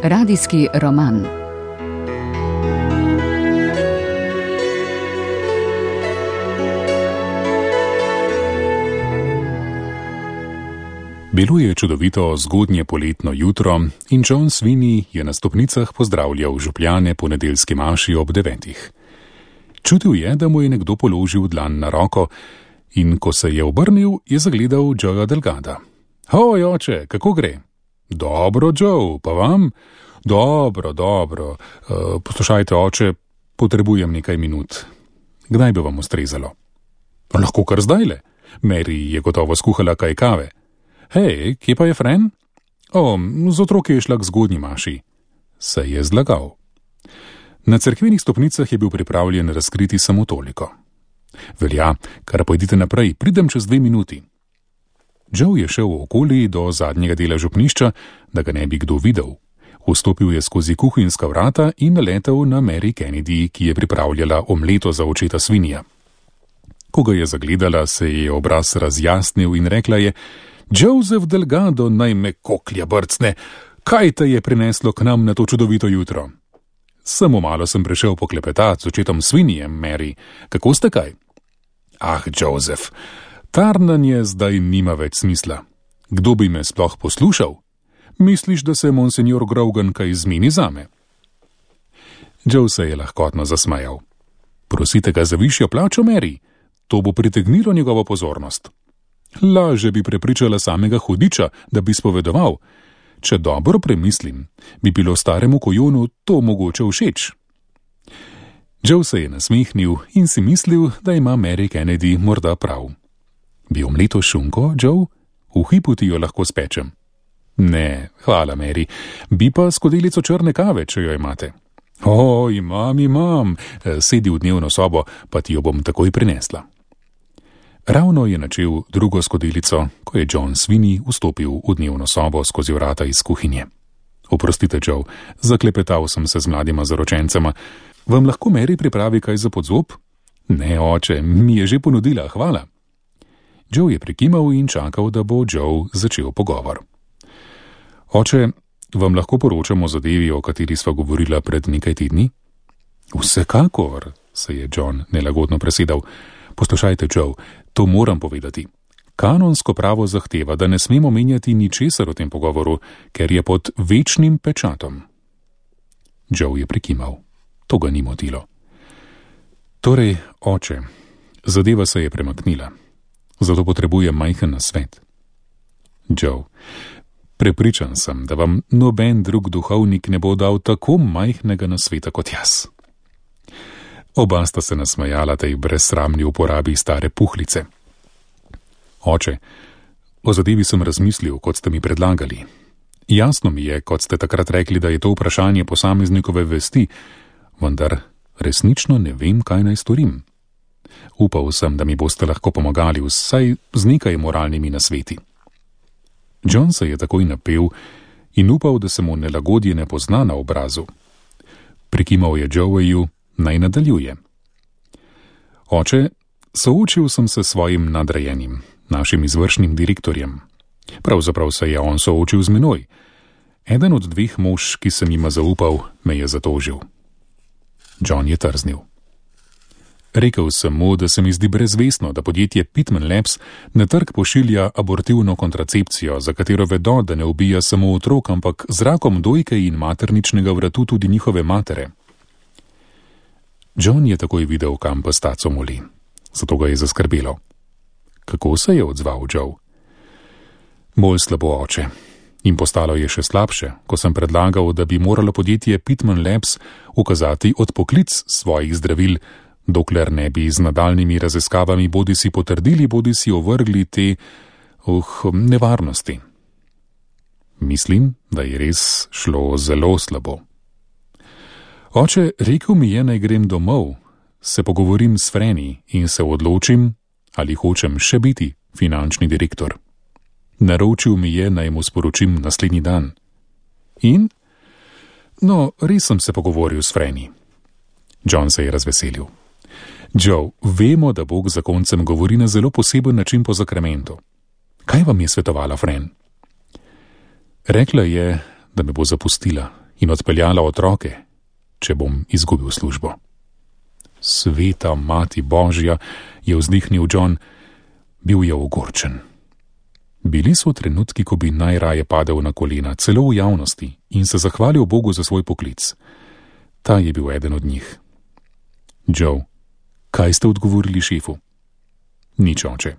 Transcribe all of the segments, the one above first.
Radijski roman. Bilo je čudovito zgodnje poletno jutro in John Sweeney je na stopnicah pozdravljal župljane po nedeljski maši ob 9. Čutil je, da mu je nekdo položil dlan na roko in ko se je obrnil, je zagledal Joeja Delgada. Hoj, oče, kako gre? Dobro, Joe, pa vam? Dobro. Poslušajte, oče, potrebujem nekaj minut. Kdaj bi vam ustrezalo? Lahko kar zdajle. Mary je gotovo skuhala kaj kave. Hej, kje pa je Fran? Z otroki je šla k zgodnji maši. Se je zlagal. Na cerkvenih stopnicah je bil pripravljen razkriti samo toliko. Velja, kar pojdite naprej, pridem čez 2 minuti. Joe je šel okoli do zadnjega dela župnišča, da ga ne bi kdo videl. Vstopil je skozi kuhinjska vrata in naletel na Mary Kennedy, ki je pripravljala omleto za očeta Sweeneyja. Ko ga je zagledala, se je obraz razjasnil in rekla je: Joseph Delgado, naj me koklja brcne, kaj te je prineslo k nam na to čudovito jutro? Samo malo sem prišel poklepetati z očetom Sweeneyjem, Mary. Kako ste kaj? Joseph, tarnanje zdaj nima več smisla. Kdo bi me sploh poslušal? Misliš, da se monsignor Grogan kaj zmeni zame? Joe se je lahkotno zasmejal. Prosite ga za višjo plačo, Mary. To bo pritegnilo njegovo pozornost. Laže bi prepričala samega hudiča, da bi spovedoval. Če dobro premislim, bi bilo staremu kojonu to mogoče všeč. Joe se je nasmehnil in si mislil, da ima Mary Kennedy morda prav. Bi omleto šunko, Joe? V hipu ti jo lahko spečem. Ne, hvala, Mary. Bi pa skodelico črne kave, če jo imate. Imam. Sedi v dnevno sobo, pa ti jo bom takoj prinesla. Ravno je načel drugo skodelico, ko je John Sweeney vstopil v dnevno sobo skozi vrata iz kuhinje. Oprostite, Joe, zaklepetal sem se z mladima zaročencema. Vam lahko Mary pripravi kaj za podzob? Ne, oče, mi je že ponudila, hvala. Joe je prikimal in čakal, da bo Joe začel pogovor. Oče, vam lahko poročam o zadevi, o kateri sva govorila pred nekaj tedni? Vsekakor, se je John nelagodno presedal. Poslušajte, Joe, to moram povedati. Kanonsko pravo zahteva, da ne smemo menjati ničesar o tem pogovoru, ker je pod večnim pečatom. Joe je prikimal. To ga ni motilo. Torej, oče, zadeva se je premaknila. Zato potrebujem majhen nasvet. Joe, prepričan sem, da vam noben drug duhovnik ne bo dal tako majhnega nasveta kot jaz. Oba sta se nasmejala tej brezsramni uporabi stare puhlice. Oče, o zadevi sem razmislil, kot ste mi predlagali. Jasno mi je, kot ste takrat rekli, da je to vprašanje posameznikove vesti, vendar resnično ne vem, kaj naj storim. Upal sem, da mi boste lahko pomagali vsaj z nekaj moralnimi nasveti. John se je takoj napel in upal, da se mu nelagodje ne pozna na obrazu. Prikimal je Joeju, naj nadaljuje. Oče, soočil sem se s svojim nadrejenim, našim izvršnim direktorjem. Pravzaprav se je on soočil z menoj. Eden od 2 mož, ki sem jima zaupal, me je zatožil. John je trznil. Rekel sem mu, da se mi zdi brezvestno, da podjetje Pitman Labs na trg pošilja abortivno kontracepcijo, za katero vedo, da ne ubija samo otrok, ampak z rakom dojke in materničnega vratu tudi njihove matere. John je takoj videl, kam pa staco moli. Zato ga je zaskrbelo. Kako se je odzval Joe? Bolj slabo, oče. In postalo je še slabše, ko sem predlagal, da bi moralo podjetje Pitman Labs ukazati odpoklic svojih zdravil, dokler ne bi z nadaljnimi raziskavami bodisi potrdili, bodisi ovrgli te nevarnosti. Mislim, da je res šlo zelo slabo. Oče, rekel mi je, naj grem domov, se pogovorim s Freni in se odločim, ali hočem še biti finančni direktor. Naročil mi je, naj mu sporočim naslednji dan. In? No, res sem se pogovoril s Freni. John se je razveselil. Joe, vemo, da Bog zakoncem govori na zelo poseben način po zakramentu. Kaj vam je svetovala Fran? Rekla je, da me bo zapustila in odpeljala otroke, če bom izgubil službo. Sveta mati Božja, je vzdihnil John, bil je ogorčen. Bili so trenutki, ko bi najraje padel na kolena, celo v javnosti, in se zahvalil Bogu za svoj poklic. Ta je bil eden od njih. Joe, kaj ste odgovorili šefu? Nič, oče.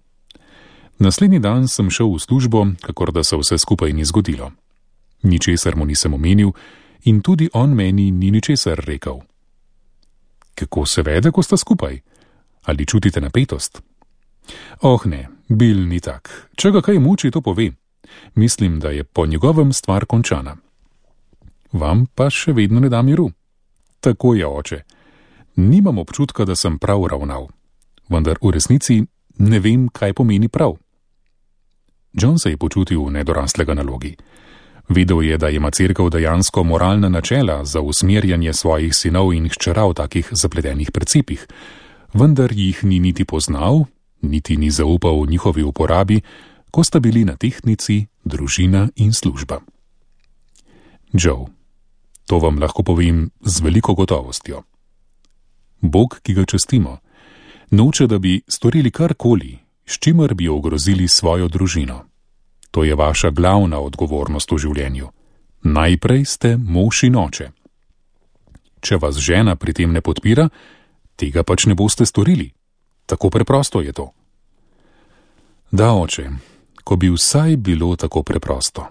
Naslednji dan sem šel v službo, kakor da se vse skupaj ni zgodilo. Ničesar mu nisem omenil in tudi on meni ni ničesar rekel. Kako se vede, ko sta skupaj? Ali čutite napetost? Oh ne, Bill ni tak. Če ga kaj muči, to pove. Mislim, da je po njegovem stvar končana. Vam pa še vedno ne da miru. Tako je, oče. Nimam občutka, da sem prav ravnal. Vendar v resnici ne vem, kaj pomeni prav. John se je počutil nedoraslega nalogi. Vedel je, da ima cerkev dejansko moralna načela za usmerjanje svojih sinov in hčera v takih zapletenih principih, vendar jih ni niti poznal, niti ni zaupal njihovi uporabi, ko sta bili na tehtnici družina in služba. Joe, to vam lahko povem z veliko gotovostjo. Bog, ki ga častimo, noče, da bi storili karkoli, s čimer bi ogrozili svojo družino. To je vaša glavna odgovornost v življenju. Najprej ste mož in oče. Če vas žena pri tem ne podpira, tega pač ne boste storili. Tako preprosto je to. Da, oče, ko bi vsaj bilo tako preprosto.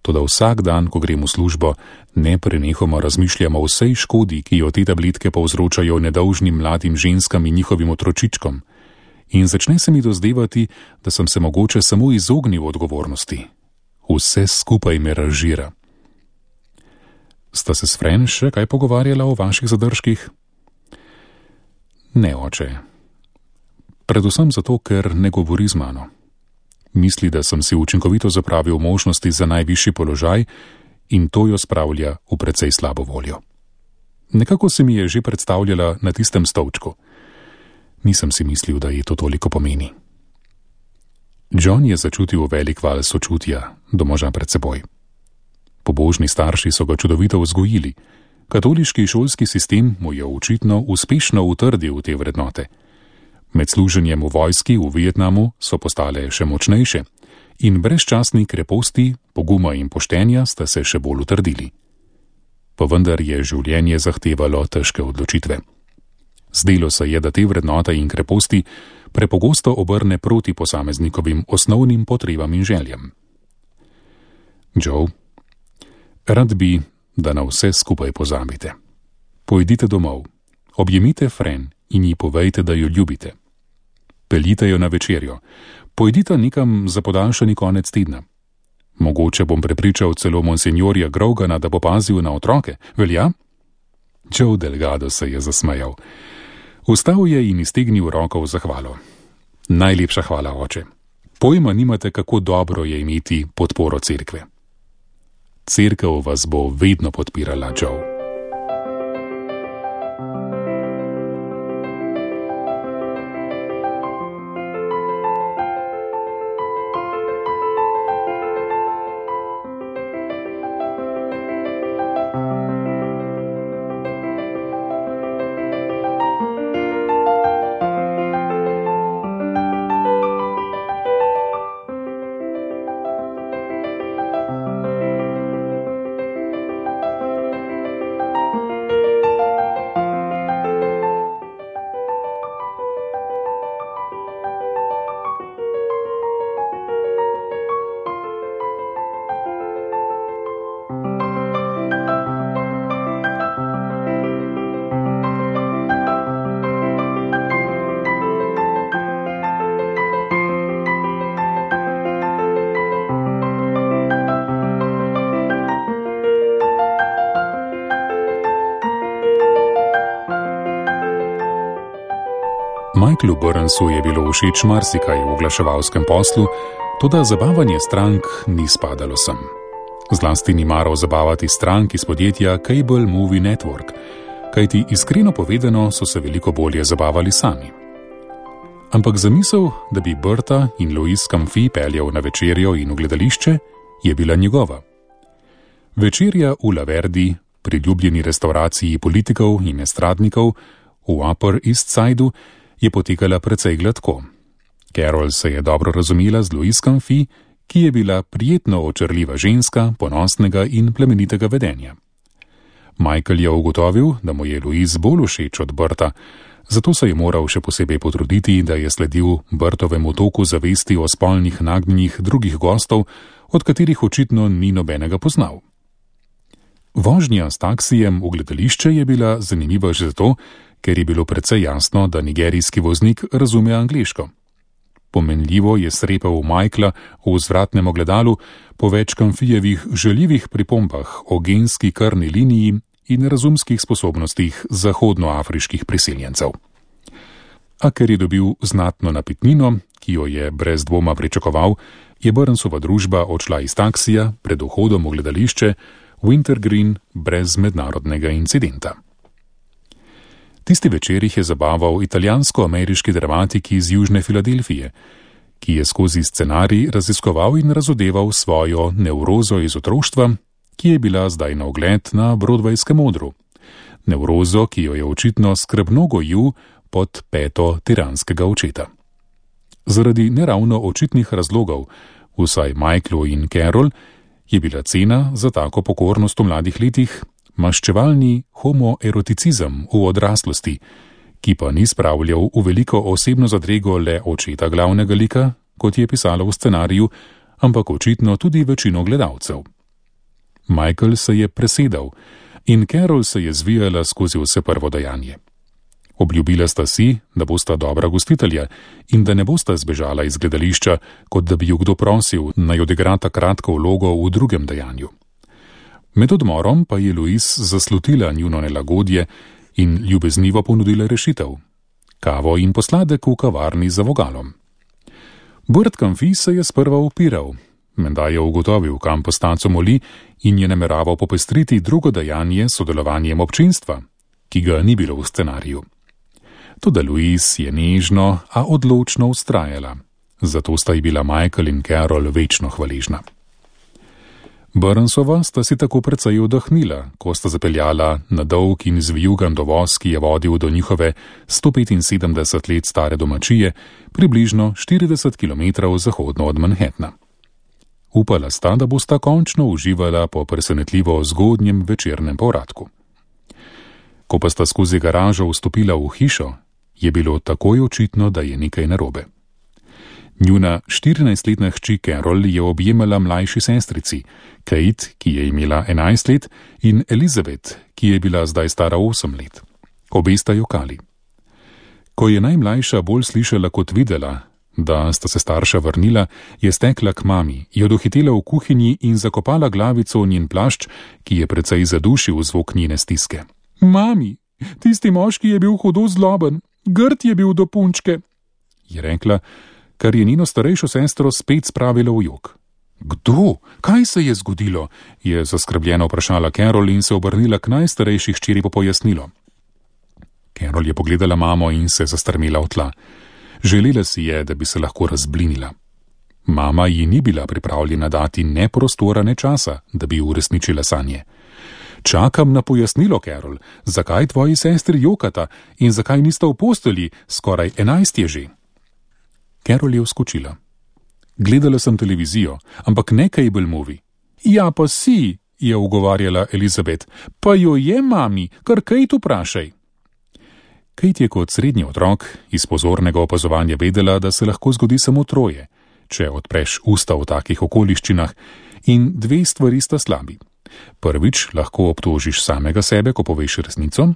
Toda vsak dan, ko grem v službo, neprenehoma razmišljam o vsej škodi, ki jo te tabletke povzročajo nedolžnim mladim ženskam in njihovim otročičkom. In začne se mi dozdevati, da sem se mogoče samo izognil odgovornosti. Vse skupaj me razžira. Sta se s Fran še kaj pogovarjala o vaših zadržkih? Ne, oče. Predvsem zato, ker ne govori z mano. Misli, da sem si učinkovito zapravil možnosti za najvišji položaj in to jo spravlja v precej slabo voljo. Nekako se mi je že predstavljala na tistem stolčku. Nisem si mislil, da ji to toliko pomeni. John je začutil velik val sočutja do moža pred seboj. Pobožni starši so ga čudovito vzgojili. Katoliški šolski sistem mu je očitno uspešno utrdil te vrednote. Med služenjem v vojski v Vietnamu so postale še močnejše in brezčasni kreposti, poguma in poštenja sta se še bolj utrdili. Pa vendar je življenje zahtevalo težke odločitve. Zdelo se je, da te vrednote in kreposti prepogosto obrne proti posameznikovim osnovnim potrebam in željam. Joe, rad bi, da na vse skupaj pozabite. Pojdite domov, objemite Fran in ji povejte, da jo ljubite. Peljite jo na večerjo, pojdite nekam za podaljšani konec tedna. Mogoče bom prepričal celo monsenjorja Grogana, da bo pazil na otroke, velja? Joe Delgado se je zasmejal. Vstal je in iztegnil roko v zahvalo. Najlepša hvala, oče. Pojma nimate, kako dobro je imeti podporo cerkve. Cerkev vas bo vedno podpirala, Joe. Michaelu Burnsu je bilo všeč marsikaj v oglaševalskem poslu, toda zabavanje strank ni spadalo sem. Zlasti ni maral zabavati strank iz podjetja Cable Movie Network, kajti iskreno povedano so se veliko bolje zabavali sami. Ampak zamisel, da bi Berta in Louis Comfy peljal na večerjo in v gledališče, je bila njegova. Večerja v Laverdi, priljubljeni restavraciji politikov in estradnikov v Upper East Sideu, je potekala precej gladko. Carol se je dobro razumela z Louise Canfi, ki je bila prijetno očarljiva ženska, ponosnega in plemenitega vedenja. Michael je ugotovil, da mu je Louise bolj všeč od Berta, zato se je moral še posebej potruditi, da je sledil Bertovemu toku zavesti o spolnih nagnjenjih drugih gostov, od katerih očitno ni nobenega poznal. Vožnja s taksijem v gledališče je bila zanimiva že zato, ker je bilo precej jasno, da nigerijski voznik razume angleško. Pomenljivo je srepal Michaela v vzvratnem ogledalu po več Canfijevih žaljivih pripombah o genski krvni liniji in razumskih sposobnostih zahodnoafriških priseljencev. A ker je dobil znatno napitnino, ki jo je brez dvoma pričakoval, je Burnsova družba odšla iz taksija pred vhodom v gledališče Wintergreen brez mednarodnega incidenta. Tisti večer jih je zabaval italijansko-ameriški dramatik iz Južne Filadelfije, ki je skozi scenarij raziskoval in razodeval svojo nevrozo iz otroštva, ki je bila zdaj na ogled na Broadwayskem odru. Nevrozo, ki jo je očitno skrbno gojil pod peto tiranskega očeta. Zaradi neravno očitnih razlogov, vsaj Michaelu in Carol, je bila cena za tako pokornost v mladih letih maščevalni homoeroticizem v odraslosti, ki pa ni spravljal v veliko osebno zadrego le očeta glavnega lika, kot je pisalo v scenariju, ampak očitno tudi večino gledalcev. Michael se je presedal in Carol se je zvijala skozi vse prvo dejanje. Obljubila sta si, da bosta dobra gostitelja in da ne bosta zbežala iz gledališča, kot da bi ju kdo prosil, naj odigrata kratko vlogo v drugem dejanju. Med odmorom pa je Louise zaslutila njuno nelagodje in ljubeznivo ponudila rešitev. Kavo in posladek v kavarni za vogalom. Burt Canfi se je sprva upiral, menda je ugotovil, kam postanco moli in je nameraval popestriti drugo dejanje s sodelovanjem občinstva, ki ga ni bilo v scenariju. Toda Louise je nežno, a odločno vztrajala. Zato sta ji bila Michael in Carol večno hvaležna. Burnsova sta si tako precej oddahnila, ko sta zapeljala na dolg in zvijugan dovoz, ki je vodil do njihove 175 let stare domačije, približno 40 km zahodno od Manhattna. Upala sta, da bosta končno uživala po presenetljivo zgodnjem večernem povratku. Ko pa sta skozi garažo vstopila v hišo, je bilo takoj očitno, da je nekaj narobe. Njuna 14-letna hči Carol je objemala mlajši sestrici, Kate, ki je imela 11 let, in Elizabeth, ki je bila zdaj stara 8 let. Obe sta jokali. Ko je najmlajša bolj slišala kot videla, da sta se starša vrnila, je stekla k mami, jo dohitela v kuhinji in zakopala glavico v njen plašč, ki je precej zadušil zvok njene stiske. Mami, tisti moški je bil hudo zloben, grd je bil do punčke, je rekla, kar je njeno starejšo sestro spet spravilo v jok. Kdo? Kaj se je zgodilo? Je zaskrbljeno vprašala Carol in se obrnila k najstarejši hčeri po pojasnilo. Carol je pogledala mamo in se zastrmela v tla. Želela si je, da bi se lahko razblinila. Mama ji ni bila pripravljena dati ne prostora, ne časa, da bi uresničila sanje. Čakam na pojasnilo, Carol, zakaj tvoji sestri jokata in zakaj nista v postelji, skoraj 11 je že. Carol je vskočila. Gledala sem televizijo, ampak ne cable movie. Ja, pa si, je ugovarjala Elizabeth, pa jo je, mami, kar Kate vprašaj. Kate je kot srednji otrok iz pozornega opazovanja vedela, da se lahko zgodi samo troje, če odpreš usta v takih okoliščinah, in dve stvari sta slabi. Prvič, lahko obtožiš samega sebe, ko poveš resnico,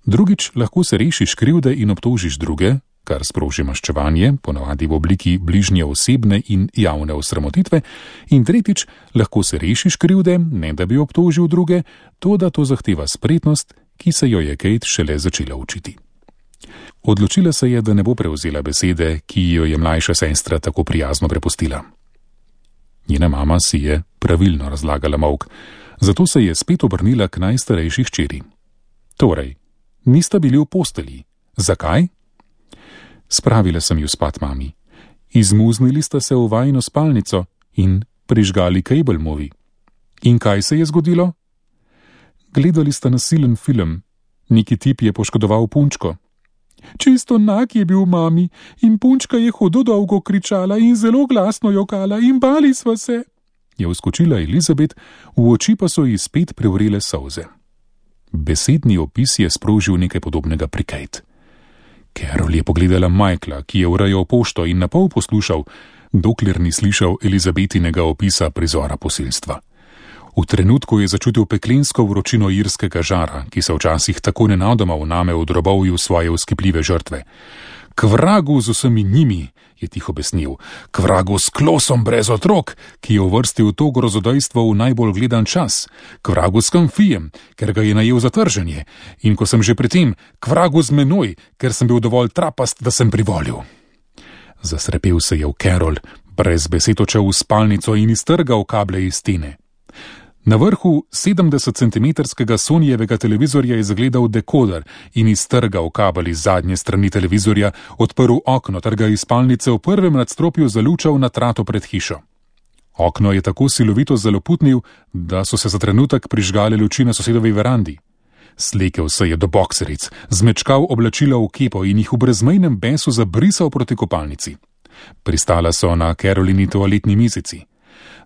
drugič, lahko se rešiš krivde in obtožiš druge, kar sproži maščevanje, ponavadi v obliki bližnje osebne in javne osramotitve, in tretjič, lahko se rešiš krivde, ne da bi obtožil druge, to da to zahteva spretnost, ki se jo je Kate šele začela učiti. Odločila se je, da ne bo prevzela besede, ki jo je mlajša sestra tako prijazno prepustila. Njena mama si je pravilno razlagala molk, zato se je spet obrnila k najstarejši hčeri. Torej, nista bili v postelji. Zakaj? Spravila sem ju spat, mami. Izmuznili sta se v vajino spalnico in prižgali cable movie. In kaj se je zgodilo? Gledali sta nasilen film. Neki tip je poškodoval punčko. Čisto nag je bil mami in punčka je hudo dolgo kričala in zelo glasno jokala in bali sva se, je vskočila Elizabeth, v oči pa so ji spet privrele solze. Besedni opis je sprožil nekaj podobnega pri Kate. Carol je pogledala Michaela, ki je urejal pošto in napol poslušal, dokler ni slišal Elizabetinega opisa prizora posilstva. V trenutku je začutil peklensko vročino irskega žara, ki se včasih tako nenadoma vname v drobovju svoje vzkipljive žrtve. K vragu z vsemi njimi, je tiho besnil, k vragu s klosom brez otrok, ki je uvrstil to grozodejstvo v najbolj gledan čas, k vragu s kamfijem, ker ga je najel za trženje, in ko sem že pri tem, k vragu z menoj, ker sem bil dovolj trapast, da sem privolil. Zasrepel se je v Carol, brez besed odšel v spalnico in iztrgal kable iz stene. Na vrhu 70-centimetrskega Sonyjevega televizorja je zagledal dekoder in iztrgal kabel iz zadnje strani televizorja, odprl okno ter ga iz spalnice v prvem nadstropju zalučal na trato pred hišo. Okno je tako silovito zaloputnil, da so se za trenutek prižgale luči na sosedovi verandi. Slekel se je do bokseric, zmečkal oblačila v kepo in jih v brezmejnem besu zabrisal proti kopalnici. Pristala so na Carolini toaletni mizici.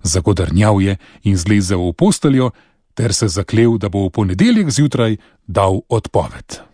Zagodrnjal je in zlezel v posteljo, ter se zaklel, da bo v ponedeljek zjutraj dal odpoved.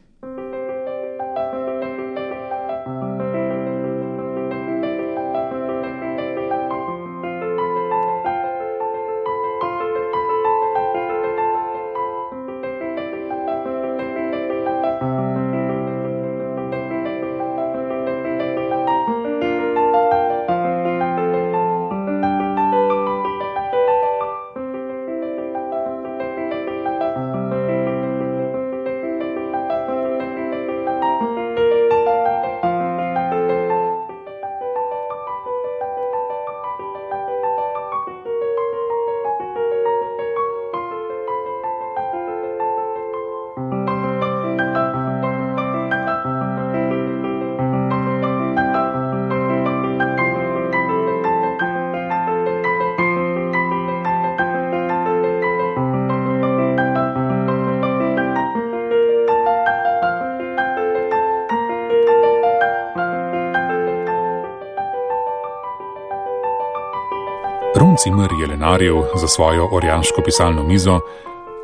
Ron Cimer je lenarjev za svojo orjaško pisalno mizo,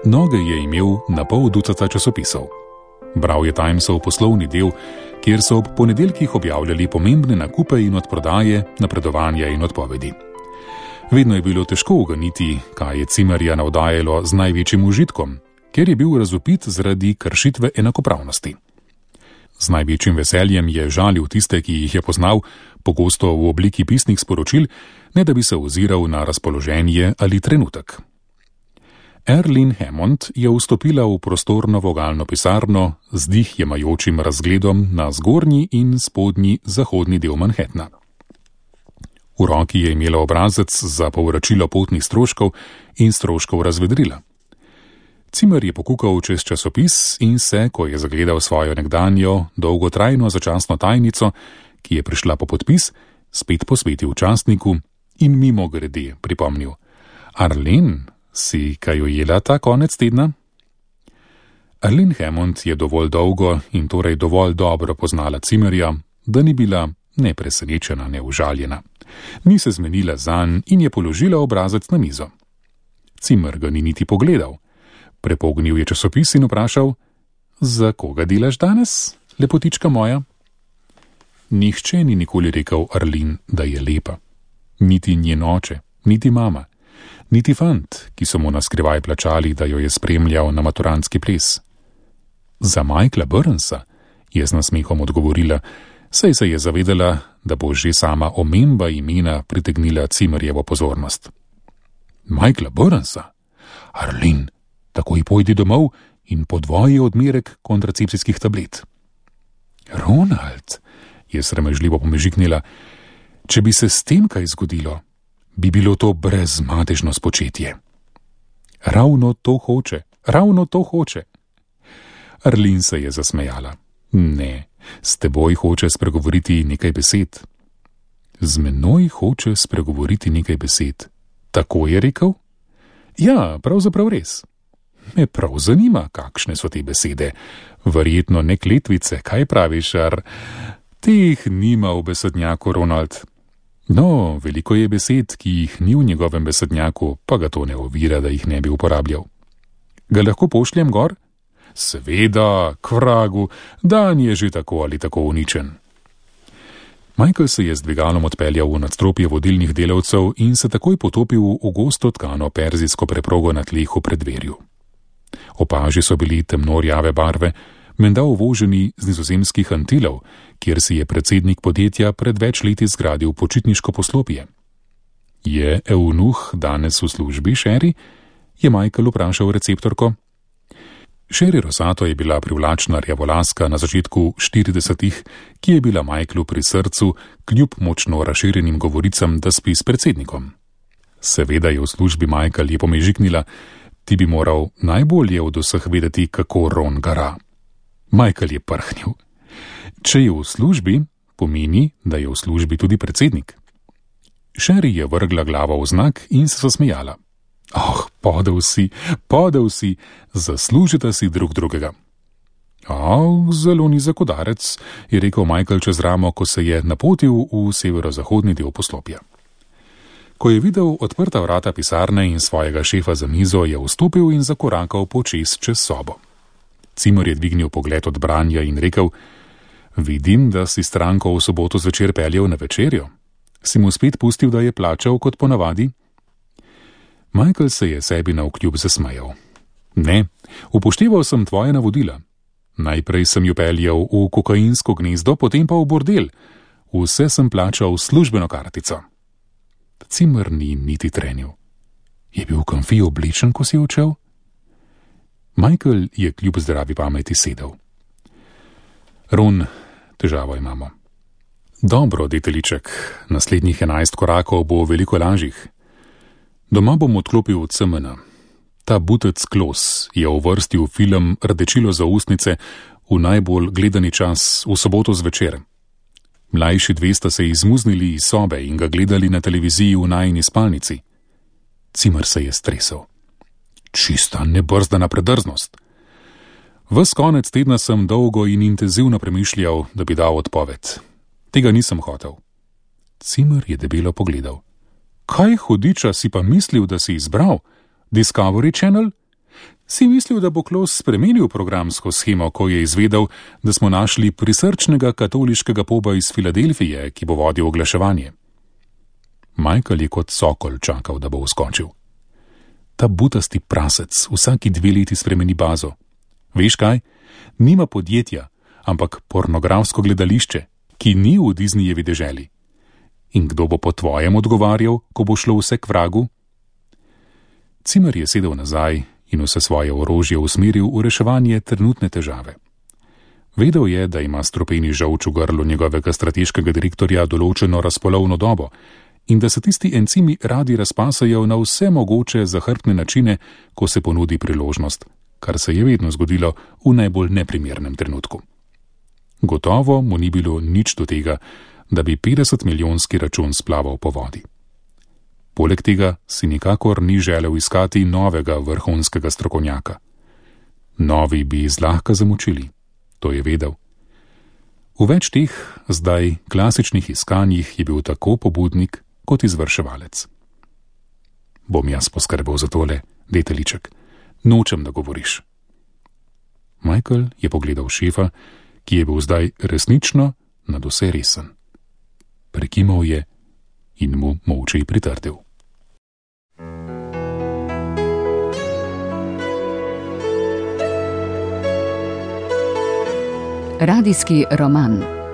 noge je imel na pol ducata časopisov. Bral je Timesov poslovni del, kjer so ob ponedeljkih objavljali pomembne nakupe in odprodaje, napredovanja in odpovedi. Vedno je bilo težko uganiti, kaj je Cimerja navdajalo z največjim užitkom, ker je bil razvpit zaradi kršitve enakopravnosti. Z največjim veseljem je žalil tiste, ki jih je poznal, pogosto v obliki pisnih sporočil, ne da bi se oziral na razpoloženje ali trenutek. Arlene Hammond je vstopila v prostorno vogalno pisarno z dih jemajočim razgledom na zgornji in spodnji zahodni del Manhattna. V roki je imela obrazec za povračilo potnih stroškov in stroškov razvedrila. Cimer je pokukal čez časopis in se, ko je zagledal svojo nekdanjo, dolgotrajno začasno tajnico, ki je prišla po podpis, spet posvetil časniku in mimogrede pripomnil: Arlene, si kaj ujela ta konec tedna? Arlene Hammond je dovolj dolgo in torej dovolj dobro poznala Cimerja, da ni bila ne presenečena, ne užaljena. Ni se zmenila zanj in je položila obrazec na mizo. Cimer ga ni niti pogledal. Prepognil je časopis in vprašal: Za koga delaš danes, lepotička moja? Nihče ni nikoli rekel Arlene, da je lepa. Niti njen oče, niti mama, niti fant, ki so mu naskrivaj plačali, da jo je spremljal na maturantski ples. Za Michaela Burnsa, je z nasmehom odgovorila, saj se je zavedala, da bo že sama omemba imena pritegnila Cimerjevo pozornost. Michaela Burnsa? Arlene, takoj pojdi domov in podvoji odmerek kontracepcijskih tablet. Ronald, je sramežljivo pomežiknila, če bi se s tem kaj zgodilo, bi bilo to brezmadežno spočetje. Ravno to hoče, ravno to hoče. Arlene se je zasmejala. Ne, s teboj hoče spregovoriti nekaj besed. Z menoj hoče spregovoriti nekaj besed. Tako je rekel? Ja, pravzaprav res. Me prav zanima, kakšne so te besede. Verjetno ne kletvice, kaj praviš, ar? Teh nima v besednjaku, Ronald. No, veliko je besed, ki jih ni v njegovem besednjaku, pa ga to ne ovira, da jih ne bi uporabljal. Ga lahko pošljem gor? Seveda, k vragu, dan je že tako ali tako uničen. Michael se je z dvigalom odpeljal v nadstropje vodilnih delavcev in se takoj potopil v gosto tkano perzijsko preprogo na tleh v preddverju. Opaži so bili temno-rjave barve, menda uvoženi z Nizozemskih Antilov, kjer si je predsednik podjetja pred več leti zgradil počitniško poslopje. Je eunuh danes v službi, Sherry? Je Michael vprašal receptorko. Sherry Rosato je bila privlačna rjavolaska na začetku 40-ih, ki je bila Michaelu pri srcu, kljub močno razširjenim govoricam, da spi s predsednikom. Seveda je v službi, Michael je pomežiknila, ti bi moral najbolje od vseh vedeti, kako Ron gara. Michael je prhnil. Če je v službi, pomeni, da je v službi tudi predsednik. Sherry je vrgla glavo v znak in se zasmejala. Oh, podel si, zaslužite si drug drugega. Zelo nizek udarec, je rekel Michael čez ramo, ko se je napotil v severozahodni del poslopja. Ko je videl odprta vrata pisarne in svojega šefa za mizo, je vstopil in zakorakal počez čez sobo. Cimr je dvignil pogled od branja in rekel: Vidim, da si stranko v soboto zvečer peljal na večerjo. Si mu spet pustil, da je plačal kot ponavadi? Michael se je sebi navkljub zasmejal. Ne, upošteval sem tvoje navodila. Najprej sem jo peljal v kokainsko gnezdo, potem pa v bordel. Vse sem plačal s službeno kartico. Cimr ni niti trenil. Je bil konfi oblečen, ko si odšel? Michael je kljub zdravi pameti sedel. Ron, težavo imamo. Dobro, deteliček, naslednjih 11 korakov bo veliko lažjih. Doma bom odklopil od CMN. Ta butec Klos je uvrstil film Rdečilo za ustnice v najbolj gledani čas v soboto zvečer. Mlajši dve sta se izmuznili iz sobe in ga gledali na televiziji v najini spalnici. Cimr se je stresel. Čista nebrzdana predrznost. Ves konec tedna sem dolgo in intenzivno premišljal, da bi dal odpoved. Tega nisem hotel. Cimr je debelo pogledal. Kaj hudiča si pa mislil, da si izbral? Discovery Channel? Si mislil, da bo Klos spremenil programsko shemo, ko je izvedel, da smo našli prisrčnega katoliškega poba iz Filadelfije, ki bo vodil oglaševanje? Michael je kot sokol čakal, da bo vskočil. Ta butasti prasec vsaki 2 leti spremeni bazo. Veš kaj? Nima podjetja, ampak pornografsko gledališče, ki ni v Disneyjevi deželi. In kdo bo po tvojem odgovarjal, ko bo šlo vse k vragu? Cimr je sedel nazaj in vse svoje orožje usmeril v reševanje trenutne težave. Vedel je, da ima stropeni žolč v grlu njegovega strateškega direktorja določeno razpolovno dobo in da se tisti encimi radi razpasajo na vse mogoče zahrbtne načine, ko se ponudi priložnost, kar se je vedno zgodilo v najbolj neprimernem trenutku. Gotovo mu ni bilo nič do tega, da bi 50-milijonski račun splaval po vodi. Poleg tega si nikakor ni želel iskati novega vrhunskega strokovnjaka. Novi bi zlahka zamočili, to je vedel. V več teh, zdaj klasičnih iskanjih je bil tako pobudnik kot izvrševalec. Bom jaz poskrbel za tole, deteliček, nočem, da govoriš. Michael je pogledal šefa, ki je bil zdaj resnično nadvse resen. Prekimal je in mu molče pritrdil. Radijski roman.